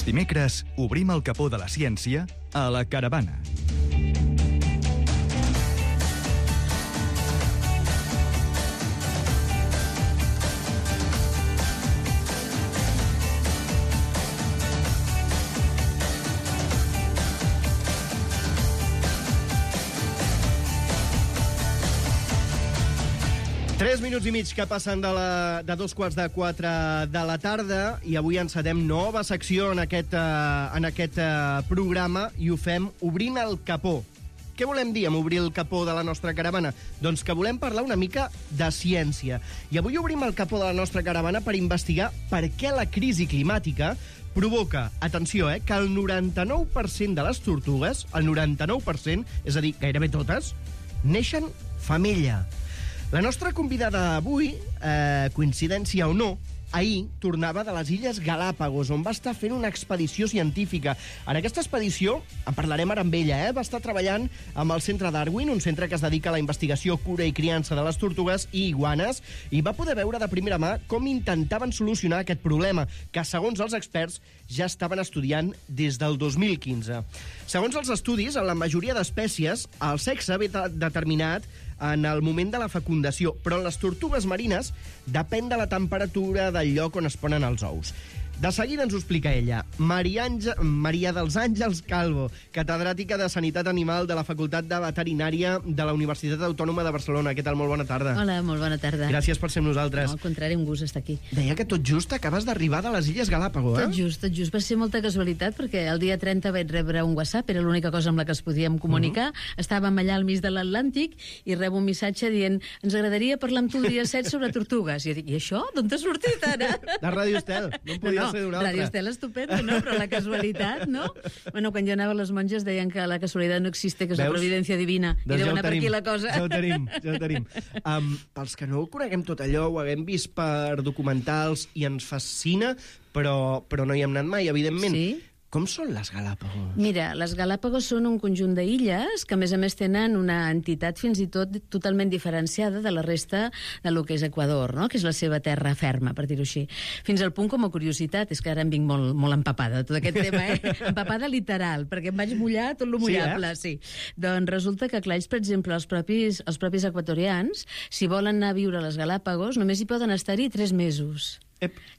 dimecres obrim el capó de la ciència a la Caravana. Tres minuts i mig que passen de 3:45 de la tarda i avui encetem nova secció en aquest programa i ho fem obrint el capó. Què volem dir amb obrir el capó de la nostra caravana? Doncs que volem parlar una mica de ciència. I avui obrim el capó de la nostra caravana per investigar per què la crisi climàtica provoca, atenció, que el 99% de les tortugues, el 99%, és a dir, gairebé totes, neixen femella. La nostra convidada d'avui, coincidència o no, ahir tornava de les Illes Galàpagos, on va estar fent una expedició científica. En aquesta expedició, en parlarem ara amb ella, va estar treballant amb el Centre Darwin, un centre que es dedica a la investigació, cura i criança de les tortugues i iguanes, i va poder veure de primera mà com intentaven solucionar aquest problema, que, segons els experts, ja estaven estudiant des del 2015. Segons els estudis, en la majoria d'espècies, el sexe ve determinat en el moment de la fecundació, però en les tortugues marines depèn de la temperatura del lloc on es ponen els ous. De seguida ens ho explica ella. Maria dels Àngels Calvo, catedràtica de Sanitat Animal de la Facultat de Veterinària de la Universitat Autònoma de Barcelona. Què tal? Molt bona tarda. Hola, molt bona tarda. Gràcies per ser amb nosaltres. No, al contrari, un gust estar aquí. Deia que tot just acabes d'arribar de les Illes Galàpagos, Tot just. Va ser molta casualitat, perquè el dia 30 vaig rebre un WhatsApp, era l'única cosa amb la que es podíem comunicar. Estàvem allà al mig de l'Atlàntic i rebo un missatge dient ens agradaria parlar amb tu el dia 7 sobre tortugues. I jo dic, i això? D'on t'ha sortit ara? De Ràdio Estel. No podia ser d'una altra. Ràdio Estel estupenda, no? Però la casualitat, no? Bueno, quan jo anava a les monges deien que la casualitat no existe, que és la providència divina. Doncs I deu anar per aquí la cosa. Ja ho tenim. Pels que no ho coneguem tot allò, ho haguem vist per documentals i ens fascina, però no hi hem anat mai, evidentment. Sí? Com són les Galàpagos? Mira, les Galàpagos són un conjunt d'illes que, a més tenen una entitat fins i tot totalment diferenciada de la resta de lo que és Equador, no? Que és la seva terra ferma, per dir-ho així. Fins al punt, com a curiositat, és que ara em vinc molt empapada de tot aquest tema, empapada literal, perquè em vaig mullar tot lo mullable, sí. Doncs resulta que, clar, ells, per exemple, els propis equatorians, si volen anar a viure a les Galàpagos, només hi poden estar-hi 3 mesos.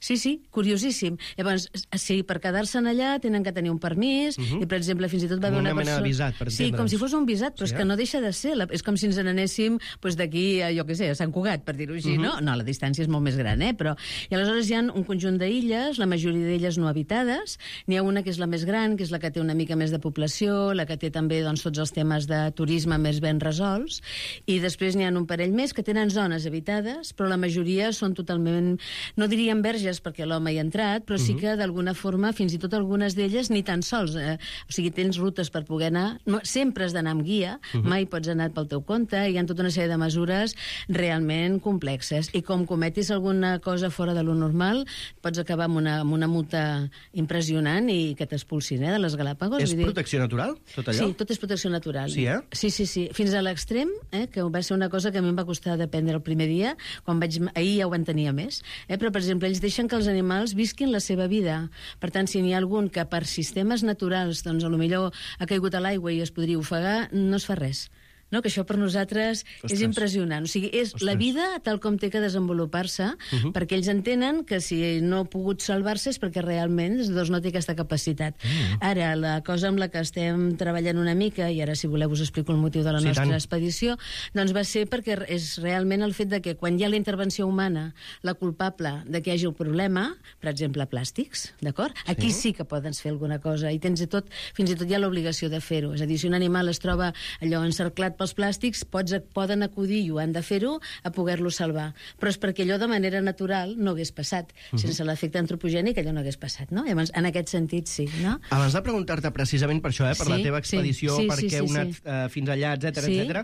Sí, curiosíssim. Llavors, sí, per quedar-se'n allà tenen que tenir un permís, i, per exemple, fins i tot va haver una persona... Una mena de visat, per entendre'ns. Sí, com si fos un visat, però és que no deixa de ser. És com si ens n'anéssim d'aquí, jo què sé, a Sant Cugat, per dir-ho així, no? No, la distància és molt més gran, però... I aleshores hi ha un conjunt d'illes, la majoria d'elles no habitades, n'hi ha una que és la més gran, que és la que té una mica més de població, la que té també tots els temes de turisme més ben resolts, i després n'hi ha un parell més que tenen zones habitades, però la majoria són totalment... No diríem verges perquè l'home hi ha entrat, però sí que d'alguna forma, fins i tot algunes d'elles, ni tan sols. O sigui, tens rutes per poder anar. No, sempre has d'anar amb guia, mai pots anar pel teu compte, hi ha tota una sèrie de mesures realment complexes. I com cometis alguna cosa fora de lo normal, pots acabar amb una multa impressionant i que t'expulsin de les Galàpagos. És protecció natural, tot allò? Sí, tot és protecció natural. Sí, Sí. Fins a l'extrem, que va ser una cosa que a mi em va costar d'aprendre el primer dia, ahir ja ho entenia més, però, per exemple, ells deixen que els animals visquin la seva vida. Per tant, si n'hi ha algun que per sistemes naturals, doncs, potser ha caigut a l'aigua i es podria ofegar, no es fa res. No, que això per nosaltres és impressionant. O sigui, és la vida tal com té que desenvolupar-se, perquè ells entenen que si no ha pogut salvar-se és perquè realment no té aquesta capacitat. Ara, la cosa amb la que estem treballant una mica, i ara, si voleu, us explico el motiu de la nostra expedició, doncs va ser perquè és realment el fet de que quan hi ha la intervenció humana, la culpable de que hi hagi el problema, per exemple, plàstics, d'acord? Aquí sí que poden fer alguna cosa, i fins i tot hi ha l'obligació de fer-ho. És a dir, si un animal es troba allò encerclat pels plàstics, poden acudir, i ho han de fer-ho, a poder-lo salvar. Però és perquè allò de manera natural no hagués passat. Sense l'efecte antropogènic allò no hagués passat, no? Llavors, en aquest sentit, sí, no? Abans de preguntar-te precisament per això, per la teva expedició, perquè heu anat fins allà, etcètera,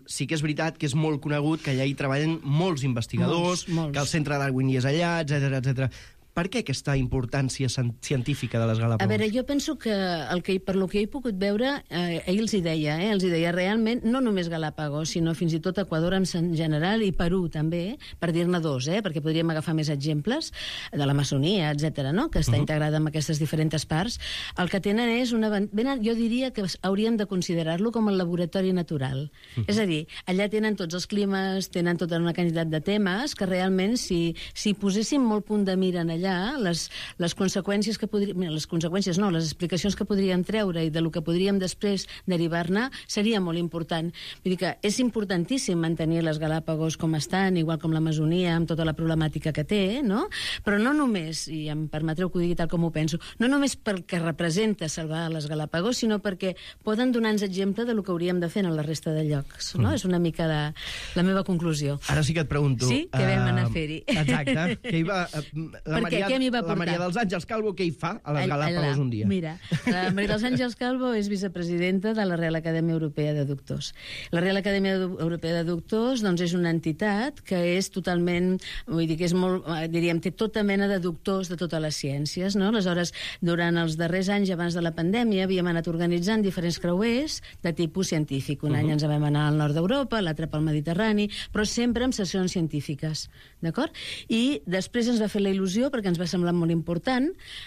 sí que és veritat que és molt conegut que allà hi treballen molts investigadors, que el Centre Darwin hi és allà, etcètera. Per què aquesta importància científica de les Galápagos? A veure, jo penso que, per lo que he pogut veure, ell els hi deia realment, no només Galápagos, sinó fins i tot Equador en general i Perú també, per dir-ne dos, perquè podríem agafar més exemples de l'Amazonia, etc., no? Que està integrada en aquestes diferents parts. El que tenen és jo diria que hauríem de considerar-lo com el laboratori natural. És a dir, allà tenen tots els climes, tenen tota una quantitat de temes que realment, si poséssim molt punt de mira en allà, les conseqüències que podríem... Les conseqüències no, les explicacions que podríem treure i del que podríem després derivar-ne seria molt important. Vull dir que és importantíssim mantenir les Galápagos com estan, igual com l'Amazonia, amb tota la problemàtica que té, no? Però no només, i em permetreu que ho digui tal com ho penso, no només pel que representa salvar les Galápagos, sinó perquè poden donar-nos exemple del que hauríem de fer en la resta de llocs, no? És una mica la meva conclusió. Ara sí que et pregunto... Sí? Què vam anar a fer-hi? Exacte. La Maria dels Àngels Calvo, què hi fa a les Galápagos un dia? Mira, la Maria dels Àngels Calvo és vicepresidenta de la Real Acadèmia Europea de Doctors. La Real Acadèmia Europea de Doctors doncs, és una entitat que és totalment, vull dir que és molt, diríem, té tota mena de doctors de totes les ciències, no? Aleshores, durant els darrers anys abans de la pandèmia havíem anat organitzant diferents creuers de tipus científic. Un any ens vam anar al nord d'Europa, l'altre pel Mediterrani, però sempre amb sessions científiques, d'acord? I després ens va fer la il·lusió, perquè ens va semblar molt important,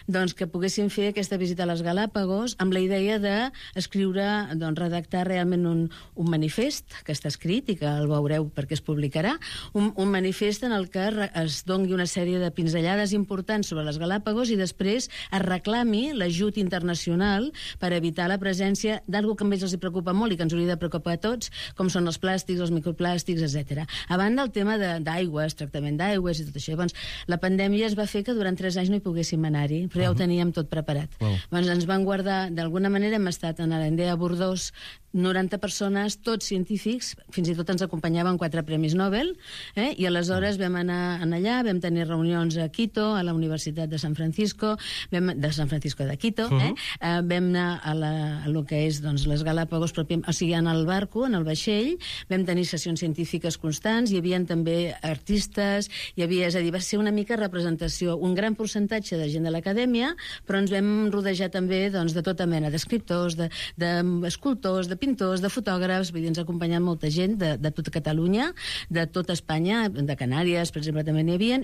doncs, que poguéssim fer aquesta visita a les Galápagos amb la idea d'escriure, doncs, redactar realment un manifest que està escrit i que el veureu perquè es publicarà, un manifest en el que es doni una sèrie de pinzellades importants sobre les Galápagos i després es reclami l'ajut internacional per evitar la presència d'alguna que a ells els preocupa molt i que ens hauria de preocupar a tots, com són els plàstics, els microplàstics, etc. A banda el tema d'aigües, tractament d'aigües i tot això. Doncs, la pandèmia es va fer que durant 3 anys no hi poguéssim anar-hi, però ja ho teníem tot preparat. Doncs ens van guardar, d'alguna manera hem estat en l'Endea Bordós 90 persones, tots científics, fins i tot ens acompanyaven 4 premis Nobel, i aleshores vam anar allà, vam tenir reunions a Quito, a la Universitat de San Francisco de Quito, vam anar a lo que és doncs, les Galápagos, o sigui, en el barco, en el vaixell, vam tenir sessions científiques constants, hi havia també artistes, hi havia, és a dir, va ser una mica representació, un gran percentatge de gent de l'acadèmia, però ens vam rodejar també doncs, de tota mena d'escriptors, d'escultors, de pintors, de fotògrafs, vull dir, ens ha acompanyat molta gent de tota Catalunya, de tota Espanya, de Canàries, per exemple, també n'hi havia,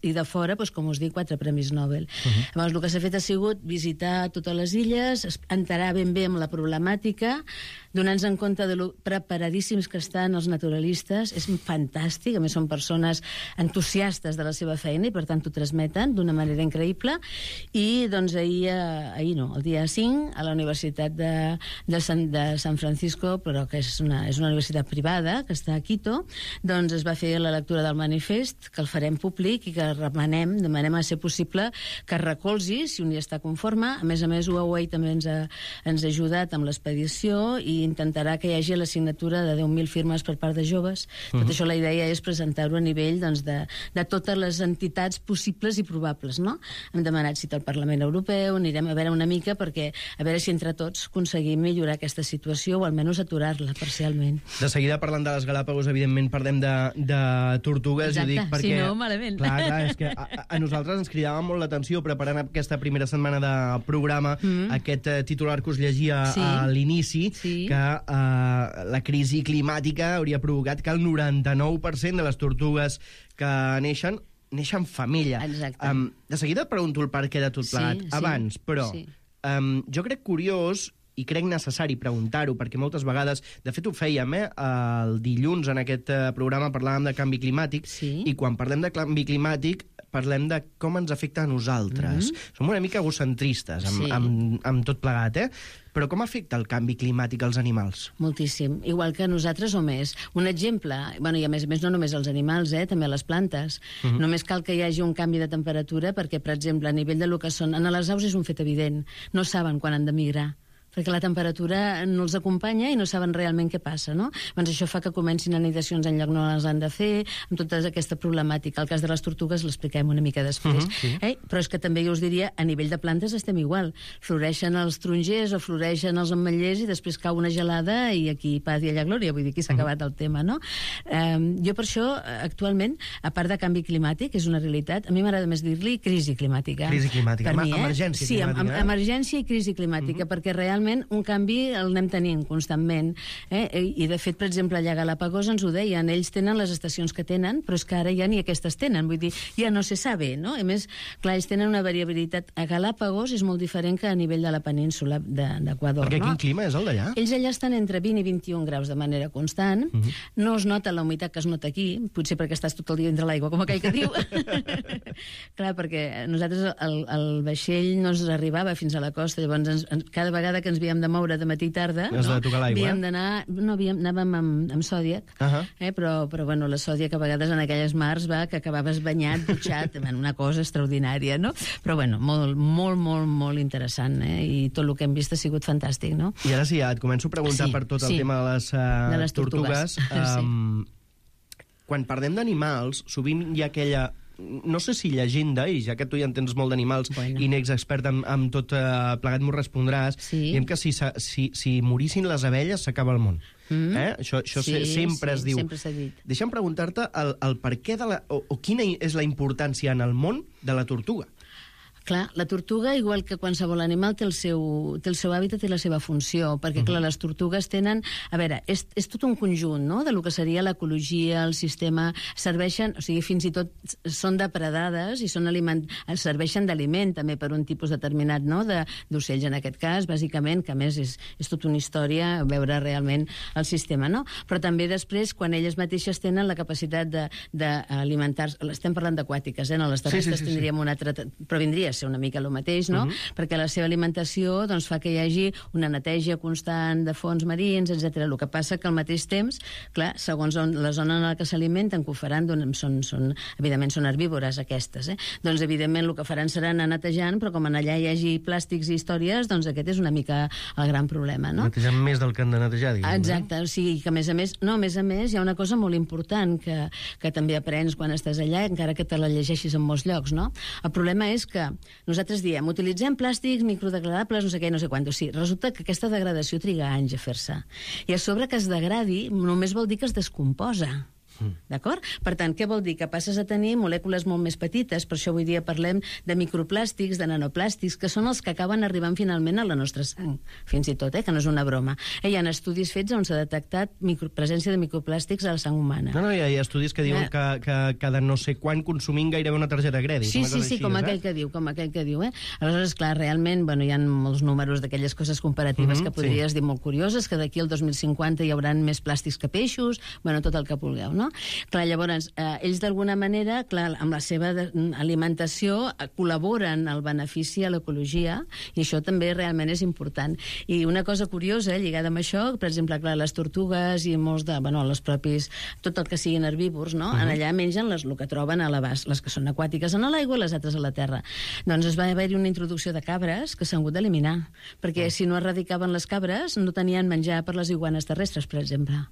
i de fora, doncs, com us dic, 4 premis Nobel. Llavors, el que s'ha fet ha sigut visitar totes les illes, enterar ben bé amb la problemàtica, donar-nos en compte de lo preparadíssims que estan els naturalistes, és fantàstic, a més són persones entusiastes de la seva feina i per tant ho transmeten d'una manera increïble, i doncs el dia 5, a la Universitat de San Francisco, però que és una universitat privada que està a Quito, doncs es va fer la lectura del manifest, que el farem públic i que demanem a ser possible que es recolzi, si un hi està conforme. A més, Huawei també ens ha ajudat amb l'expedició i intentarà que hi hagi la signatura de 10.000 firmes per part de joves. Tot això la idea és presentar-ho a nivell de totes les entitats possibles i probables, no? Hem demanat cita al Parlament Europeu, anirem a veure una mica perquè a veure si entre tots aconseguim millorar aquesta situació o almenys aturar-la parcialment. De seguida parlant de les Galápagos, evidentment parlem de tortugues. Exacte, dic perquè, si no, malament. Clar, és que a nosaltres ens cridava molt l'atenció preparant aquesta primera setmana de programa, aquest titular que us llegia a l'inici, que la crisi climàtica hauria provocat que el 99% de les tortugues que neixen femella. Exacte. De seguida et pregunto el per què de tot plegat. Abans, però, jo crec curiós i crec necessari preguntar-ho, perquè moltes vegades, de fet ho fèiem, el dilluns en aquest programa parlàvem de canvi climàtic, i quan parlem de canvi climàtic parlem de com ens afecta a nosaltres. Som una mica egocentristes amb tot plegat, Però com afecta el canvi climàtic als animals? Moltíssim, igual que nosaltres o més. Un exemple, i a més no només als animals, també a les plantes. Només cal que hi hagi un canvi de temperatura perquè, per exemple, a nivell de lo que són... En les aus és un fet evident. No saben quan han de migrar. perquè la temperatura no els acompanya i no saben realment què passa, no? Doncs això fa que comencin anidacions en lloc no les han de fer, amb tota aquesta problemàtica. El cas de les tortugues l'expliquem una mica després. Però és que també jo us diria, a nivell de plantes estem igual. Floreixen els tarongers o floreixen els ametllers i després cau una gelada i aquí paz i allà glòria, vull dir, aquí s'ha acabat el tema, no? Jo per això, actualment, a part de canvi climàtic, és una realitat, a mi m'agrada més dir-li crisi climàtica. Crisi climàtica, Per mi, emergència sí, climàtica. emergència i crisi climàtica, perquè realment un canvi el anem tenint constantment. I de fet, per exemple, allà a Galápagos ens ho deien, ells tenen les estacions que tenen, però és que ara ja ni aquestes tenen, vull dir, ja no se sabe, no? A més, clar, ells tenen una variabilitat. A Galápagos és molt diferent que a nivell de la península d'Equador, Perquè no? quin clima és el d'allà? Ells allà estan entre 20 i 21 graus de manera constant. No es nota la humitat que es nota aquí, potser perquè estàs tot el dia entre l'aigua, com aquell que diu. Clar, perquè nosaltres el vaixell no ens arribava fins a la costa, llavors cada vegada que ens havíem de moure de matí i tarda, Has de tocar l'aigua, havíem d'anar... No, anàvem amb Zodiac, però bueno, la Zodiac a vegades en aquelles mars va que acabaves banyat, dutxat, una cosa extraordinària, no? Però bueno, molt interessant, i tot el que hem vist ha sigut fantàstic, no? I ara sí, ja et començo a preguntar per tot el tema de les tortugues. Quan parlem d'animals, sovint hi ha aquella... No sé si llegenda, i ja que tu ja entens molt d'animals i n'ets expert amb tot plegat, m'ho respondràs, diem que si morissin les abelles s'acaba el món. Això sempre es diu. Sempre s'ha dit. Deixa'm preguntar-te el per què o quina és la importància en el món de la tortuga. Clar, la tortuga, igual que qualsevol animal, té el seu hàbitat i la seva funció, perquè, clar, les tortugues tenen... A veure, és tot un conjunt, no?, de lo que seria l'ecologia, el sistema... Serveixen, o sigui, fins i tot són depredades i serveixen d'aliment, també, per un tipus determinat, no?, d'ocells, en aquest cas, bàsicament, que a més és tota una història veure realment el sistema, no? Però també després, quan elles mateixes tenen la capacitat d'alimentar-se... Estem parlant d'aquàtiques, no? Les terrestres tindríem una altra... Però vindria ser una mica el mateix, no? Perquè la seva alimentació doncs, fa que hi hagi una neteja constant de fons marins, etc. El que passa que al mateix temps, clar, segons la zona en la que s'alimenten, que ho faran, evidentment són herbívores aquestes, doncs evidentment el que faran serà anar netejant, però com allà hi hagi plàstics i històries, doncs aquest és una mica el gran problema, no? Netejant més del que han de netejar, diguem. Exacte, o sigui que a més hi ha una cosa molt important que també aprens quan estàs allà, encara que te la llegeixis en molts llocs, no? El problema és que nosaltres diem, utilitzem plàstics microdegradables, no sé què, no sé quant. Sí, resulta que aquesta degradació triga anys a fer-se. I a sobre que es degradi només vol dir que es descomposa. D'acord? Per tant, què vol dir? Que passes a tenir molècules molt més petites, per això avui dia parlem de microplàstics, de nanoplàstics, que són els que acaben arribant finalment a la nostra sang, fins i tot, que no és una broma. Hi ha estudis fets on s'ha detectat presència de microplàstics a la sang humana. No, hi ha estudis que diuen que cada no sé quan consumint gairebé una targeta de crèdit. Sí, com aquell que diu, Aleshores, clar, realment, hi ha molts números d'aquelles coses comparatives que podries dir molt curioses, que d'aquí al 2050 hi haurà més plàstics que peixos, tot el que vulgueu, no? Clar, llavors, ells d'alguna manera, clar, amb la seva alimentació col·laboren al benefici a l'ecologia, i això també realment és important. I una cosa curiosa lligada amb això, per exemple, clar, les tortugues i molts els propis, tot el que siguin herbívors, no? Allà mengen el que troben a l'abast, les que són aquàtiques en l'aigua i les altres a la terra. Doncs es va haver-hi una introducció de cabres que s'han hagut d'eliminar, perquè si no erradicaven les cabres no tenien menjar per les iguanes terrestres, per exemple.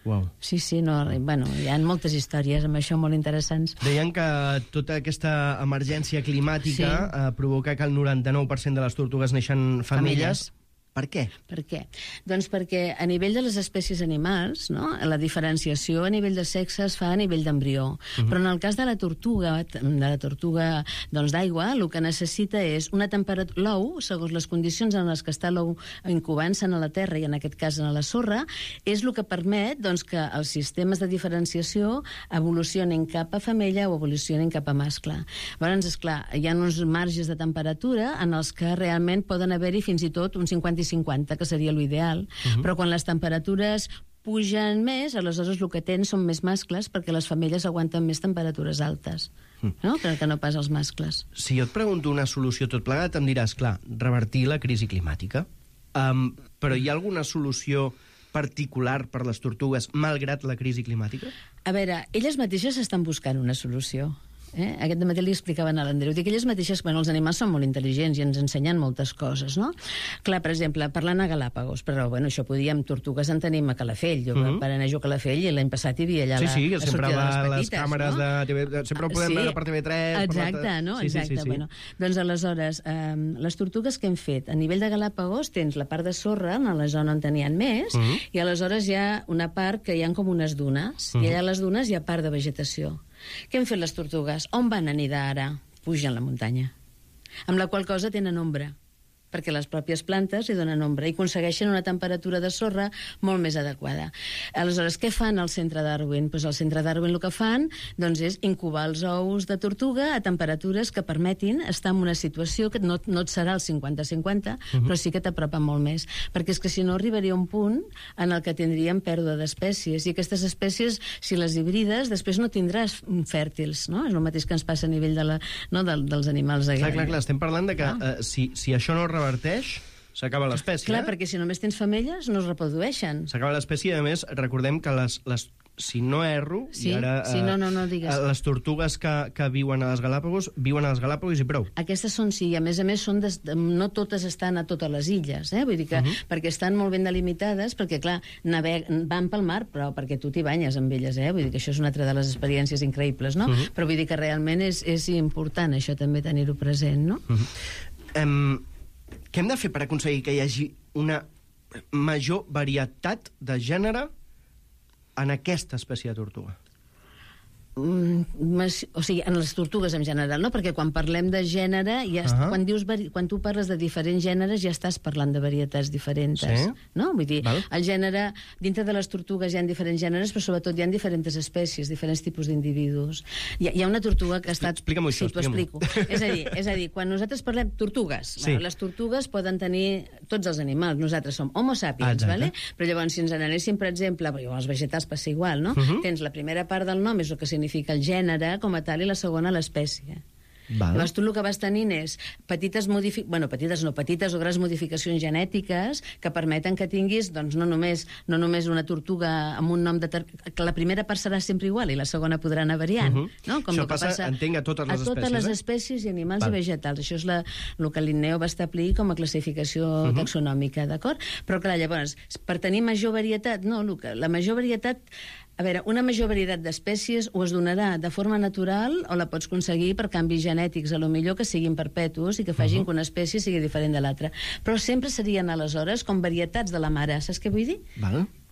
Wow. Sí, hi ha moltes històries amb això molt interessants. Deien que tota aquesta emergència climàtica provoca que el 99% de les tortugues neixen femelles. Per què? Per què? Doncs perquè a nivell de les espècies animals, no?, la diferenciació a nivell de sexe es fa a nivell d'embrió. Però en el cas de la tortuga d'aigua, el que necessita és una temperatura... L'ou, segons les condicions en les que està l'ou incubant-se a la terra, i en aquest cas a la sorra, és el que permet que els sistemes de diferenciació evolucionin cap a femella o evolucionin cap a mascle. Llavors, esclar, hi ha uns marges de temperatura en els que realment poden haver-hi fins i tot un 50, que seria l'ideal, però quan les temperatures pugen més, aleshores el que tens són més mascles, perquè les femelles aguanten més temperatures altes, no? Que no pas els mascles. Si jo et pregunto una solució tot plegat, em diràs, clar, revertir la crisi climàtica. Però hi ha alguna solució particular per les tortugues, malgrat la crisi climàtica? A veure, elles mateixes estan buscant una solució. Aquest dematí li explicaven a l'Andreu. Dic, elles mateixes, bueno, els animals són molt intel·ligents i ens ensenyen moltes coses, no? Clar, per exemple, parlant a Galàpagos, però, bueno, això podíem, tortugues en tenim a Calafell. Jo per anar a jugar a Calafell i l'any passat hi havia allà sí, la sempre sortida de va les les petites, càmeres no? de TV, sempre ho podem veure per TV3. Exacte, no? Exacte. Bueno, doncs, aleshores, les tortugues que hem fet, a nivell de Galàpagos tens la part de sorra, a la zona on tenien més, i aleshores hi ha una part que hi ha com unes dunes, i allà a les dunes hi ha part de vegetació. Què han fet les tortugues? On van anidar ara? Pugen la muntanya. Amb la qual cosa tenen ombra, perquè les pròpies plantes hi donen ombra i aconsegueixen una temperatura de sorra molt més adequada. Aleshores, què fan al centre Darwin? Pues al centre Darwin el que fan és incubar els ous de tortuga a temperatures que permetin estar en una situació que no et serà el 50-50, però sí que t'apropa molt més. Perquè és que si no arribaria un punt en el que tindríem pèrdua d'espècies. I aquestes espècies, si les hibrides, després no tindràs fèrtils, no? És el mateix que ens passa a nivell dels animals de guerra. Clar, estem parlant de que si això no reverteix, s'acaba l'espècie. Clar, perquè si només tens femelles no es reprodueixen. S'acaba l'espècie i, a més, recordem que si no erro, sí, i ara no digues. Les tortugues que viuen a les Galàpagos viuen a les Galàpagos i prou. Aquestes són, sí, i a més no totes estan a totes les illes, vull dir que perquè estan molt ben delimitades, perquè, clar, van pel mar, però perquè tu t'hi banyes amb elles, vull dir que això és una altra de les experiències increïbles, no? Però vull dir que realment és important això també tenir-ho present, no? Què hem de fer per aconseguir que hi hagi una major varietat de gènere en aquesta espècie de tortuga? O sigui, en les tortugues en general, no? Perquè quan parlem de gènere, quan tu parles de diferents gèneres ja estàs parlant de varietats diferents, no? Vull dir, el gènere, dintre de les tortugues hi ha diferents gèneres, però sobretot hi ha diferents espècies, diferents tipus d'individus. Hi ha una tortuga que ha estat... Explica'm això, sí, t'ho explico. És a dir, quan nosaltres parlem tortugues, les tortugues poden tenir tots els animals, nosaltres som homo sapiens, però llavors si ens n'anéssim, per exemple, els vegetals passa igual, no? Tens la primera part del nom, és el que significa el gènere com a tal, i la segona l'espècie. Llavors tu el que vas tenint és petites o grans modificacions genètiques que permeten que tinguis no només una tortuga amb un nom que la primera part serà sempre igual i la segona podrà anar variant. Això passa, entenc, a totes les espècies. A totes les espècies i animals i vegetals. Això és el que Linneo va establir com a classificació taxonòmica, d'acord? Però clar, llavors, per tenir major varietat, no, la major varietat... A veure, una major varietat d'espècies o es donarà de forma natural o la pots aconseguir per canvis genètics, a lo millor que siguin perpetus i que facin que una espècie sigui diferent de l'altra. Però sempre serien, aleshores, com varietats de la mare. Saps què vull dir?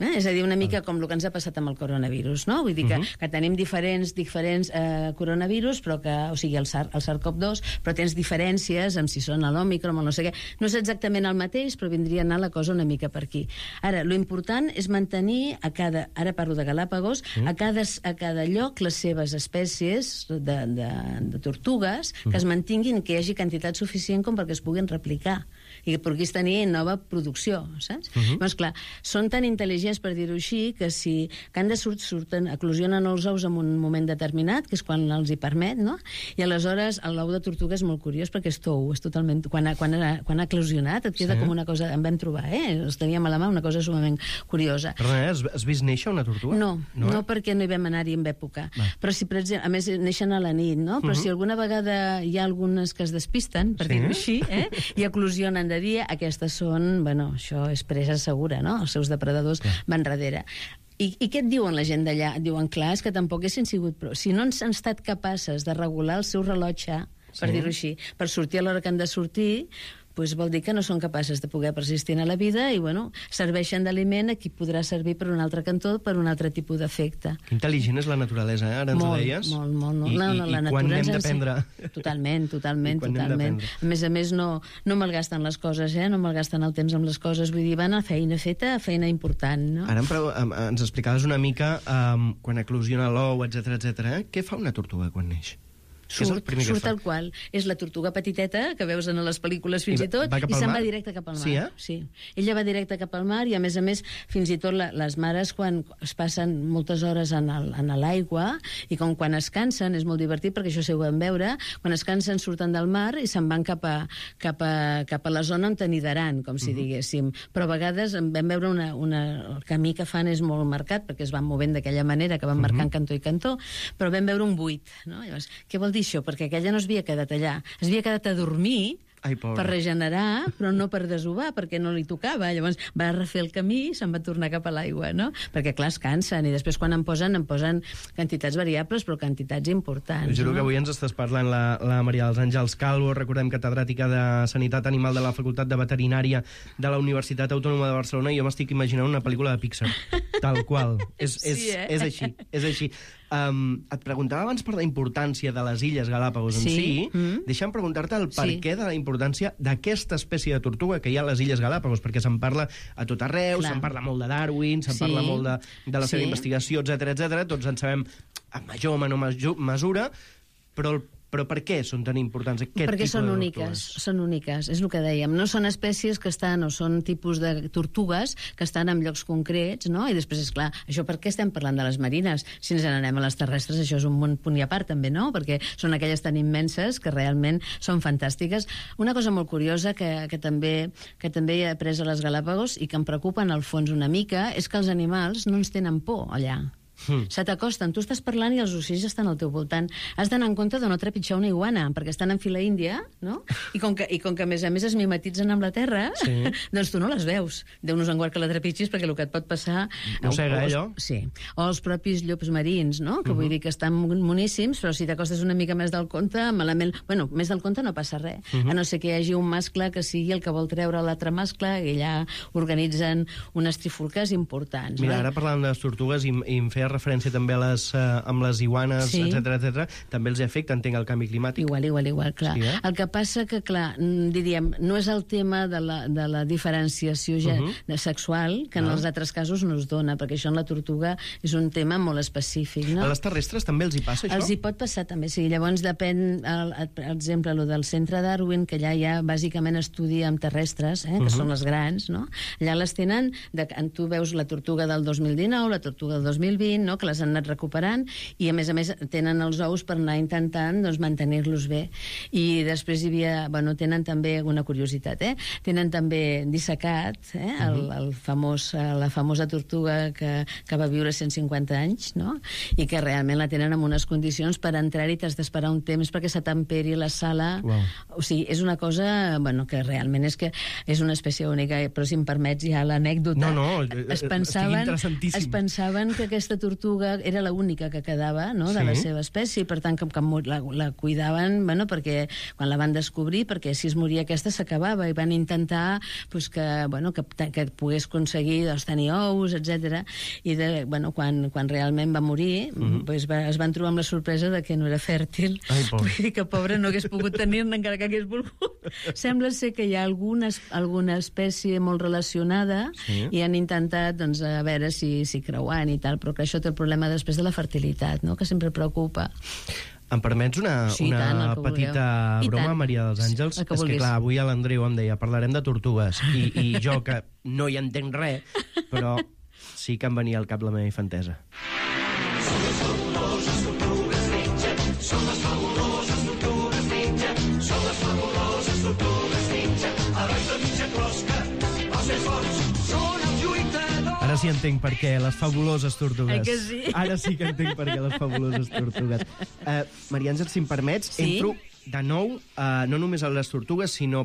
És a dir, una mica com el que ens ha passat amb el coronavirus, no? Vull dir que tenim diferents coronavirus, però que, o sigui, el SARS-CoV-2, però tens diferències amb si són l'Òmicron o no sé què. No és exactament el mateix, però vindria a anar la cosa una mica per aquí. Ara, lo important és mantenir ara parlo de Galàpagos, a cada lloc les seves espècies de tortugues que es mantinguin, que hi hagi quantitat suficient com perquè es puguin replicar i que puguis tenir nova producció, saps? Doncs clar, són tan intel·ligents, per dir-ho així, que eclosionen els ous en un moment determinat, que és quan els hi permet, no? I aleshores l'ou de tortuga és molt curiós perquè és tou, és totalment... Quan ha eclosionat et queda com una cosa... En vam trobar, els teníem a la mà, una cosa sumament curiosa. Perdona, has vist néixer una tortuga? No, perquè no hi vam anar-hi en època. Però si, per exemple, a més, neixen a la nit, no? Però si alguna vegada hi ha algunes que es despisten, per dir-ho així, i eclosionen de dia, aquestes són... Bueno, això és presa segura, no? Els seus depredadors van darrere. I què et diuen la gent d'allà? Et diuen, clar, és que tampoc haguessin sigut prou. Si no han estat capaces de regular el seu rellotge, per dir-ho així, per sortir a l'hora que han de sortir, doncs vol dir que no són capaces de poder persistir a la vida i, bueno, serveixen d'aliment a qui podrà servir per un altre cantó, per un altre tipus d'efecte. Que intel·ligent és la naturalesa, ara ens ho deies? Molt. I quan n'hem d'aprendre? Totalment. A més, no malgasten les coses, no malgasten el temps amb les coses, vull dir, van a feina feta, feina important, no? Ara ens explicaves una mica quan eclosiona l'ou, etc. Què fa una tortuga quan neix? Surt tal qual. És la tortuga petiteta que veus en les pel·lícules fins i tot, i se'n va directe cap al mar. Sí, eh? Sí. Ella va directe cap al mar i, a més, fins i tot les mares, quan es passen moltes hores en l'aigua, i com quan es cansen, és molt divertit perquè això ho vam veure, quan es cansen surten del mar i se'n van cap a la zona on t'anidaran, com si diguéssim. Però a vegades vam veure el camí que fan és molt marcat, perquè es van movent d'aquella manera, que van marcant cantó i cantó, però vam veure un buit. No? Llavors, què vol dir això? Perquè aquella no es havia quedat allà. Es havia quedat a dormir, per regenerar, però no per desovar, perquè no li tocava. Llavors va refer el camí i se'n va tornar cap a l'aigua, no? Perquè, clar, es cansen, i després quan en posen quantitats variables, però quantitats importants. Juro que avui ens estàs parlant la Maria dels Àngels Calvo, recordem, catedràtica de Sanitat Animal de la Facultat de Veterinària de la Universitat Autònoma de Barcelona, i jo m'estic imaginant una pel·lícula de Pixar, tal qual. És així, és així. Et preguntava abans per la importància de les Illes Galàpagos en si. Deixa'm preguntar-te el perquè de la importància d'aquesta espècie de tortuga que hi ha a les Illes Galàpagos, perquè se'n parla a tot arreu, se'n parla molt de Darwin, se'n parla molt de la seva investigació, etc. Tots en sabem en major o menor mesura, però per què són tan importants aquest tipus de tortugues? Perquè són úniques, és el que dèiem. No són espècies que estan, o són tipus de tortugues que estan en llocs concrets, no? I després, esclar, això per què estem parlant de les marines? Si ens n'anem a les terrestres, això és un punt i a part, també, no? Perquè són aquelles tan immenses que realment són fantàstiques. Una cosa molt curiosa que també he après a les Galàpagos i que em preocupa en el fons una mica és que els animals no ens tenen por allà. Se t'acosten, tu estàs parlant i els ocells estan al teu voltant. Has d'anar en compte de no trepitjar una iguana, perquè estan en fila índia, no? I com que a més es mimetitzen amb la terra, doncs tu no les veus. Déu-nos en guard que la trepitgis, perquè el que et pot passar... Mossega, allò? Sí. O els propis llops marins, no? Que vull dir que estan moníssims, però si t'acostes una mica més del compte, malament... Bueno, més del compte no passa res. A no ser que hi hagi un mascle que sigui el que vol treure l'altre mascle, i allà organitzen unes trifulques importants. Mira, ara parlant de les tortugues, i em feia referència també amb les iguanes, etc. També els afecta, entenc, el canvi climàtic. Igual, clar. Sí, el que passa que, clar, diríem, no és el tema de la diferenciació sexual, que en els altres casos no es dona, perquè això en la tortuga és un tema molt específic, no? A les terrestres també els hi passa, això? Els hi pot passar, també, sí. Llavors depèn, per exemple, el del centre Darwin, que allà hi ha bàsicament estudi amb terrestres, que són les grans, no? Allà les tenen, tu veus la tortuga del 2019, la tortuga del 2020, no? Que les han anat recuperant, i a més tenen els ous per anar intentant mantenir-los bé. I després hi havia... Bueno, tenen també una curiositat, tenen també dissecat la famosa tortuga que va viure 150 anys, no? I que realment la tenen en unes condicions per entrar-hi t'has d'esperar un temps perquè se temperi la sala. O sigui, és una cosa, bueno, que realment és una espècie única, però si em permets ja l'anècdota. Estic interessantíssim. Es pensaven que aquesta tortuga era l'única que quedava, no?, de la seva espècie, i per tant que la cuidaven, bueno, perquè quan la van descobrir, perquè si es moria aquesta s'acabava, i van intentar que pogués aconseguir tenir ous, etc. I quan realment va morir, es van trobar amb la sorpresa de que no era fèrtil. Vull dir que pobra no hagués pogut tenir-ne encara que hagués volgut. Sembla ser que hi ha alguna espècie molt relacionada i han intentat, doncs, a veure si creuant i tal, però que això té el problema després de la fertilitat, no?, que sempre preocupa. Em permets una petita broma, Maria dels Àngels? És que, clar, avui l'Andreu em deia parlarem de tortugues, i jo, que no hi entenc res, però sí que em venia al cap la meva infantesa. Són les fabuloses tortugues ninja, són les fabuloses tortugues ninja, són les fabuloses tortugues ninja, herois de mitja closca, els més forts són els lluitadors. Ara sí entenc per què, les fabuloses tortugues. Que sí? Ara sí que entenc per què, les fabuloses tortugues. Maria Àngels, si em permets, entro de nou, no només a les tortugues, sinó